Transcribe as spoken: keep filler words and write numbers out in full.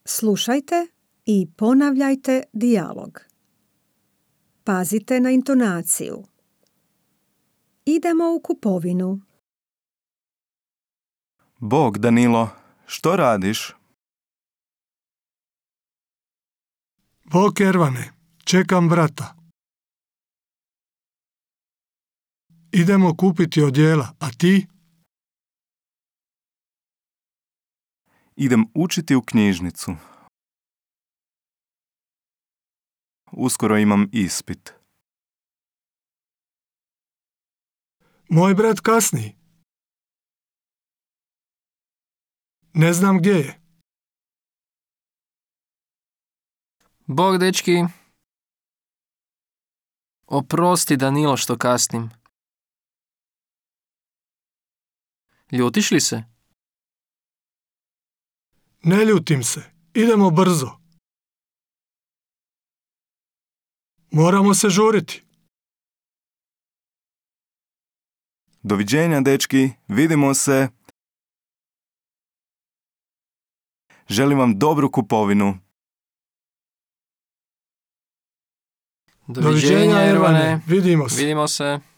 Slušajte i ponavljajte dijalog. Pazite na intonaciju. Idemo u kupovinu. Bog, Danilo, što radiš? Bok, Ervane, čekam brata. Idemo kupiti odjela, a ti? Idem učiti u knjižnicu. Uskoro imam ispit. Moj brat kasni. Ne znam gdje je. Bog, dečki. Oprosti, Danilo, što kasnim. Ljutiš li se? Ne ljutim se. Idemo brzo. Moramo se žuriti. Doviđenja, dečki, vidimo se. Želim vam dobru kupovinu. Doviđenja, Ervane. Vidimo se. Vidimo se.